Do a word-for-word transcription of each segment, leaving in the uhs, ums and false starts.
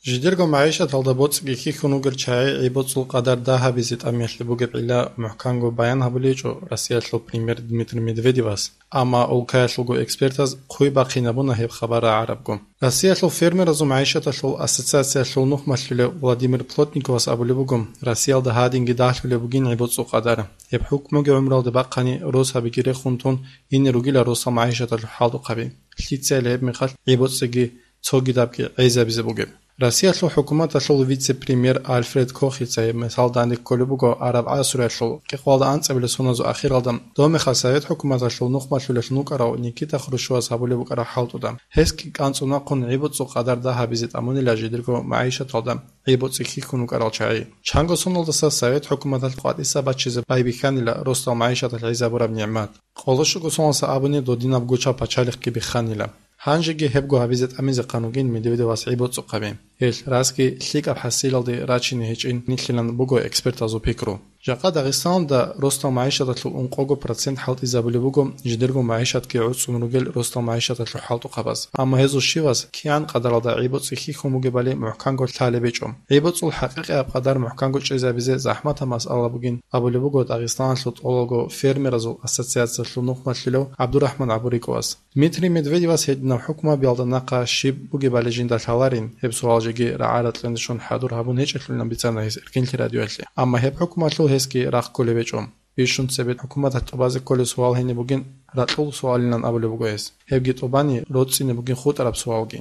Жидерго магӀишаталда боцӀиги хьихьун вугел чагӀи гӀи-боцӀул къадар дагьабизе тӀамиялъе бугеб гӀилла мухӀканго баян гьабулечӀо Россиялъул премьер Дмитрий Медведевас, амма улкаялъулго экспертаз хъуй бахъинабуна гьеб хабар рагӀарабго. Россиялъул фермеразул магӀишаталъул ассоциациялъул нухмалъулев Владимир Плотниковас абулеб буго, Россиялда гьадинги дагьлъулеб бугин гӀи-боцӀул къадар. Гьеб хӀукмуги гӀумралде бахъани росабиги рехун тун ине ругила росал магӀишаталъул хӀалтӀухъаби. Лъицайила гьеб мехалъ гӀи-боцӀиги цогидабги гӀезабизе бугеб. Россиялъул хӀукуматалъул вице-премьер Альфред Кохица гьеб мисал данде кколеб буго араб гӀасруялъул кӀикъоялда анцӀабилеб соназул ахиралда, доб мехалъ Совет хӀукуматалъул нухмалъулелъун вукӀарав Никита Хрущевас гьабулеб букӀараб хӀалтӀуда. Гьесги кӀанцӀун вахъун гӀи-боцӀул къадар дагьабизе тӀамунила жидерго магӀишаталда гӀи-боцӀи хьихьун вукӀарал чагӀи. Чанго соналдаса Совет хӀукуматалъ къватӀиса баччизе байбихьанила росдал магӀишаталъ гӀезабураб нигӀмат. Къоло щуго соналдаса абуни додинаб гучаб пачалихъги бихханила. Гьанжеги гьебго гьабизе тӀамизехъан вугин Медведевас гӀи-боцӀухъаби. Гьелъ расги лъикӀаб хӀасилалде рачине гьечӀин нилъилан буго экспертазул пикру. Жакъа Дагъистаналда росдал магӀишаталъул ункъого процент хӀалтӀизабулеб буго жидерго магӀишатги гӀуцӀун ругел росдал магӀишаталъул хӀалтӀухъабаз. Амма гьезул щивас кигӀан къадаралда гӀи-боцӀи хьихьун бугебали мухӀканго лъалеб гьечӀо. ГӀи-боцӀул хӀакъикъияб къадар мухӀканго чӀезабизе захӀматаб масъала бугин абулеб буго Дагъистаналъул тӀолалго фермеразул ассоциациялъул нухмалъулев ГӀабдурахӀман ГӀабурикӀовас. Дмитрий Медведевас гьединаб хӀукму гьабиялда нахъа щиб бугебали жинда лъаларин, гьеб суал жеги рагӀа-ракьанде щун хӀадур гьабун гьечӀелъулилан бицана гьес Эркинлъи радиоялъе. Амма гьеб хӀукмуялъул гьесги рахъ кколеб гьечӀо. Бищун цебе хӀукуматалъ тӀубазе кколеб суал гьениб бугин, ракьул суалилан абулеб буго гьес. Гьебги тӀубани, роцӀцӀине бугин хутӀараб суалги.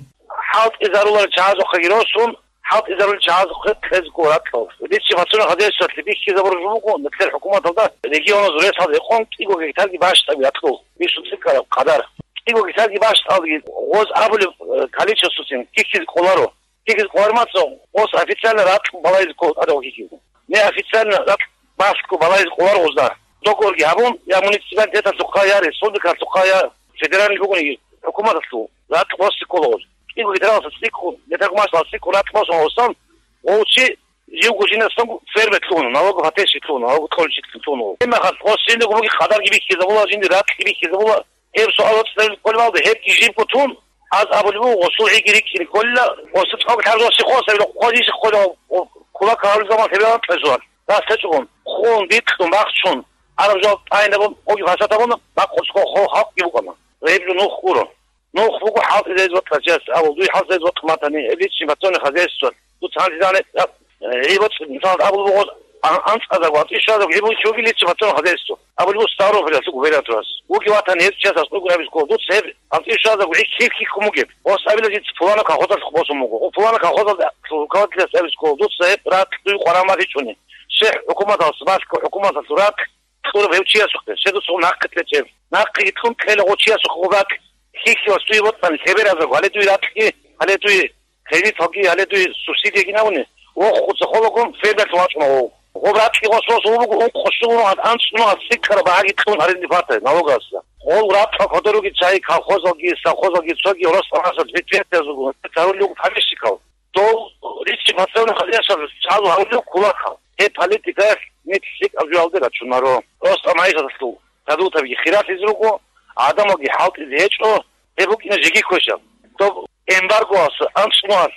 ХӀалтӀизарулел чагӀазухъеги росун, хӀалтӀизарулел чагӀазухъе кьезго ракьал. Риччи пацунахъа десулъе бихьизабураб жо буго, нилъер хӀукуматалда регионазул ресалда гьекъон кӀиго гектарги бащдаб ракьул. Бищун цӀикӀкӀараб къадар. КӀиго гектарги бащдалги гъоз абулеб, э, количествоцин кихьизе кӀоларо. Кихьизе кӀолармаца гъоз официально ракь балайзе ккола тӀадав кихьизе. Неофициально ракь бахъго балайзе кӀолар гъозда. Договорги гьабун, я муниципалитеталъухъа, я республикалъухъа, я федеральный бугониги хӀукуматалъул ракь босе ккола гъоз. КӀиго гектаралдаса цӀикӀкӀун, гектар гумашлъал цӀикӀкӀун ракь босун гъосан, гъов чи живго жинасан ферме лъугьуна, налогоплательщик лъугьуна, налогоплательщик лъугьуна. Гьеб мехалъ гъос жиндего буги къадарги бихьизабула, жинди ракьги бихьизабула. Гьеб суал цӀалулеб кколебалда, гьебги живго тун, аз абулеб буго, гъосул гӀиги рикӀкӀине кколила, гъосул цӀакъ лъабжоси хосабила, хъвазише хъвала, кулак гьарулел заман лъебералан кьезуан, рас гьечӀогун, хун, бикьун, бахчун, араб жал тӀайнабун, оги фасадабун, бакъусго хо халкъги букӀана. Гьеб жо нух гуро. Нух буго хӀалтӀизаризе вокьарав чияс абул, дуе хӀалтӀизаризе вокьа матани, гьеб личный подсобный хозяйство. Дуца гьанже дагьа, э, гьеб боцӀи, мисал, абул буго, ан-, анцӀазарго, анцӀишазарго, гьеб буго чоги личный подсобный хозяйство. Абулеб буго Ставропольалъул губернаторас. Вуги ватани гьез чиясас уграбиз ккола, дуца гьеб анцӀишазарго гьикъ-, гьикъ-, хӀикъун бугеб. Ос абила жинца пулана колхозалъухъ босун буго. О, пулана колхозалда руководителас абиз ккола, дуца гьеб ракь дуе къваран бахъичӀони. ШехӀ хӀукуматалъ, балъго хӀукуматалъул ракь кьураб гьев чиясухъе, щай дуца нахъе кьечӀеб. Нахъеги кьун кьела гъо чиясухъе гъоб ракь. Хьихьивас дуе вокьани, лъеберазарго, гьале дуе ракьги, гьале дуе кредиталги, гьале дуе субсидияги набуни, вохуца холагун фермерлъун вачӀуна гъов. Гъоб ракьги гъос росун буго ункъо щуго мугӀ анцӀ мугӀ цӀикӀкӀараб багьаги кьун арендный плата, налогасда. Гъол ракьал кодоруги чагӀи колхозалги, совхозалги цоги рос-, росанас предприятиязулгун гьарулел руго помещикал. Дов риччи пацанахъа яшав чӀалу гьавулев кулакал. Гьеб политикаялъ нилъ лъикӀаб жоялде рачунаро. Просто магӀишаталъул продуктабиги хиралъизе руго, гӀадамалги хӀалтӀизе гьечӀо, гьеб букӀина жеги квешаб. Доб эмбаргоялъ анцӀнугьал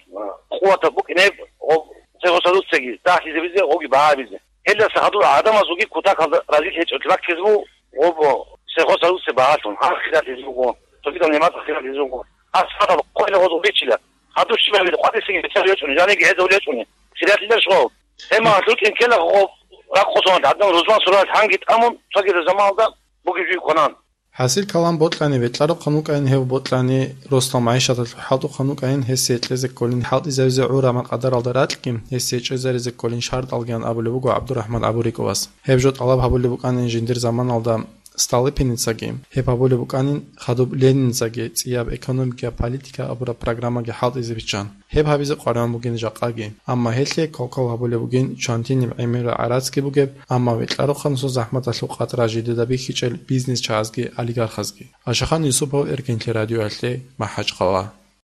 къуватаб букӀинеб гъоб цевосадуцаги дагьлъизабизе, гъоги багьабизе. Гьелдаса гьадур гӀадамазулги кутакалда разилъ гьечӀолъи баккизе буго, гъоб сехосадуце багьалъун, гьанхъ хиралъизе буго, цогидал немацӀ хиралъизе буго. Гьас гьадал хъвеле гъозул бичила. Гьадур щибабили къватӀисеги бетӀер гьечӀони, жаниги гьезул гьечӀони. Хиралъилел щвал. Гьеб магӀалъ рукӀин ккела гъоб ракъусун гӀадан рузман суралъ гьанги тӀамун, цогидал заманалда бугеб жуй кванан. ХӀасил калам бокьани бетӀларухъан вукӀайин, гьев бокьани росдал магӀишаталъул хӀалтӀухъан вукӀайин, гьесие кьезе кколин хӀалтӀизавизе гӀураб къадаралда ракьги, гьесие чӀезаризе кколин шартӀалгиян абулеб буго ГӀабдурахӀман ГӀабурикӀовас. Гьеб жо тӀалаб гьабулеб букӀанин жиндир заманалда Столыпиницаги, гьеб гьабулеб букӀанин хадуб Лениницаги цӀияб экономикияб политика абураб программаги хӀалтӀизе биччан. Гьеб гьабизе къваригӀун бугин жакъаги. Амма гьелъие кал-кал гьабулеб бугин чантиниб гӀемерал гӀарацги бугеб, амма бетӀларухъанасул захӀматалъул къатӀра жидеда бихьичӀел бизнес чагӀазги олигархазги. Ашахан Юсупов, Эркинлъи радиоялъе, МахӀачхъала.